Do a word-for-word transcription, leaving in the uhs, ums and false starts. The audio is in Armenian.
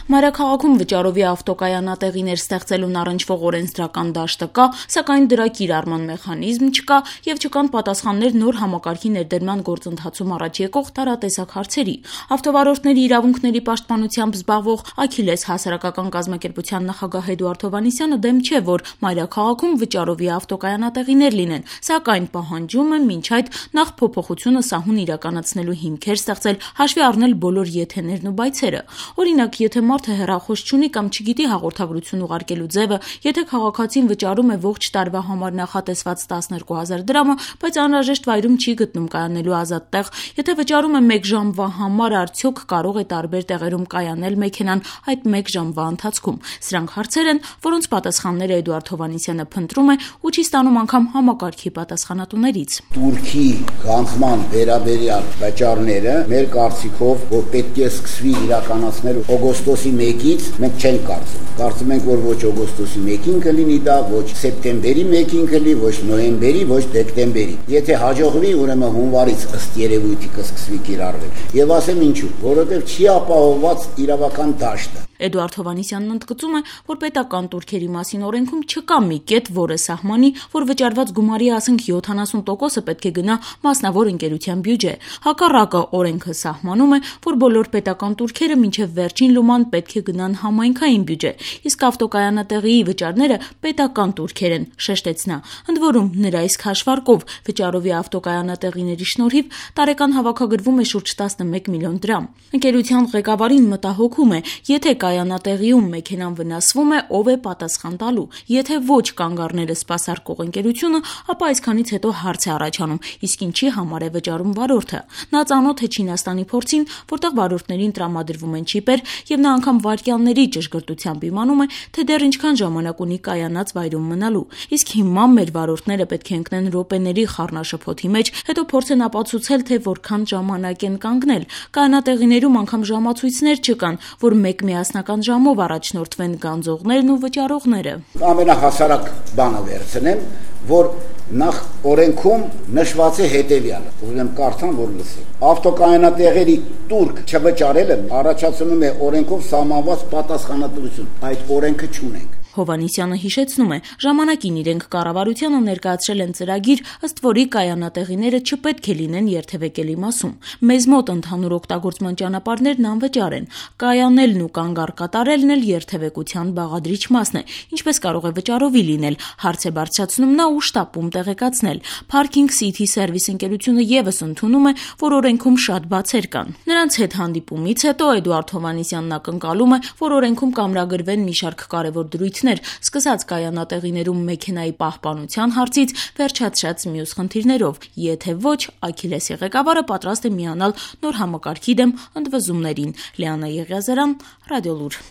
Մայրաքաղաքում վճարովի ավտոկայանատեղիներ ստեղծելուն առնչվող օրենսդրական դաշտը կա, սակայն դրա կիրառման մեխանիզմ չկա եւ չկան պատասխաններ նոր համակարգի ներդրման գործընթացում առաջ եկող տարատեսակ հարցերի։ Ավտովարորդների իրավունքների պաշտպանությամբ զբաղվող Աքիլես հասարակական կազմակերպության նախագահ Էդուարդ Հովհաննիսյանը դեմ չէ, որ մայրաքաղաքում վճարովի ավտոկայանատեղիներ լինեն, սակայն պահանջում է մինչ այդ նախ փոփոխությունը սահուն իրականացնելու հիմքեր ստեղծել, հաշվի առնել բոլոր եթեներն ու բայցերը։ Օրինակ, եթե մարդը հեռախոս չունի կամ չգիտի հաղորդագրություն ուղարկելու ձևը, եթե քաղաքացին վճարում է ողջ տարվա համար նախատեսված տասներկու հազար դրամը, բայց անհրաժեշտ վայրում չի գտնում կայանելու ազատ տեղ, եթե վճարում է մեկ ժամվա համար, արդյոք կարող է տարբեր տեղերում կայանել մեքենան այդ մեկ ժամվա ընթացքում։ Սրանք հարցեր են, որոնց պատասխանները Էդուարդ Հովհաննիսյանը փնտրում է ու չի ստանում անգամ համակարգի պատասխանատուներից։ Турքի գանձման վերաբերյալ վճարները մեր կարծիքով, որ պետք է սկսվի իրականացնել օգոստոսի մեկից, մենք չենք կարծում։ Կարծում ենք, որ ոչ օգոստոսի մեկին կլինի դա, ոչ սեպտեմբերի մեկին կլինի, ոչ նոյեմբերի, ոչ դեկտեմբերի։ Եթե հաջողվի, ուրեմն հունվարից ըստ երևույթի կսկսվի կիրառվել։ Եվ ասեմ ինչու, որովհետև չի ապահովված իրավական դաշտը։ Էդուարդ Հովհաննիսյանն ընդգծում է, որ պետական турքերի մասին օրենքում չկա մի կետ, որը սահմանի, որ վճարված գումարի ասենք յոթանասուն տոկոսը պետք է գնա մասնավոր ընկերության բյուջե։ Հակառակը, օրենքը սահմանում է, որ բոլոր պետական турքերը մինչև վերջին լուման պետք է գնան համայնքային բյուջե, իսկ ավտոկայանատեղիի վճարները պետական турքեր են, շեշտեց նա։ Ընդ որում, նրա իսկ հաշվարկով վճարովի ավտոկայանատեղիների շնորհիվ տարեկան հավաքագրվում է շուրջ տասնմեկ միլիոն դրամ։ Ընկերության ղեկավարին մտահոգում է, եթե կայանատեղիում մեքենան վնասվում է, ով է պատասխան տալու։ Եթե ոչ կանգ առնել սպասարկող ընկերությունը, ապա այսքանից հետո հարց է առաջանում, իսկ ինչի համար է վճարում վարորդը։ Նա ծանոթ է Չինաստանի փորձին, որտեղ վարորդներին տրամադրվում են չիպեր, եւ նա անգամ վայրկյանների ճշգրտությամբ իմանում է, թե դեռ ինչքան ժամանակ ունի կայանած վայրում մնալու։ Իսկ հիմա մեր վարորդները պետք է ընկնեն րոպեների խառնաշփոթի մեջ, հետո փորձեն ապացուցել, թե որքան ժամանակ են կանգնել։ Կայանատեղիներում անգամ ժամացույցներ չկան, որ մեկ միասնական ժամով առաջնորդվեն գանձողներն ու վճարողները։ Ամենահասարակ բանը վերցնեմ, որ նախ օրենքում նշված է հետևյալը, ուզում կարդամ, որ լսեք։ Ավտոկայանատեղերի турք չվճարելը առաջացնում է օրենքով սահմանված պատասխանատվություն։ Այդ օրենքը չունենք։ Հովհաննիսյանը հիշեցնում է, ժամանակին իրենք կառավարությանը ներկայացրել են ծրագիր, ըստ որի կայանատեղիները չպետք է լինեն երթևեկելի մասում։ Մեզ մոտ ընդհանուր օգտագործման ճանապարհներն անվճար են։ Կայանելն ու կանգառ կատարելն էլ երթևեկության բաղադրիչ մասն է, ինչպես կարող է վճարովի լինել, հարց է բարձրացնում նա ու շտապում տեղեկացնել։ Parking City Service ընկերությունը եւս ընդունում է, որ օրենքում շատ բացեր կան։ Նրանց հետ հանդիպումից հետո Էդուարդ Հովհաննիսյանն ակնկալում է, որ օրենքում կամրագրվեն մի շարք կարևոր դրույթներ, սկսած կայանատեղիներում մեքենայի պահպանության հարցից, վերջացրած մյուս խնդիրներով։ Եթե ոչ, Աքիլեսի ղեկավարը պատրաստ է միանալ նոր համակարգի դեմ ընդվզումներին։ Լիանա Եղիազարյան, Ռադիոլուր։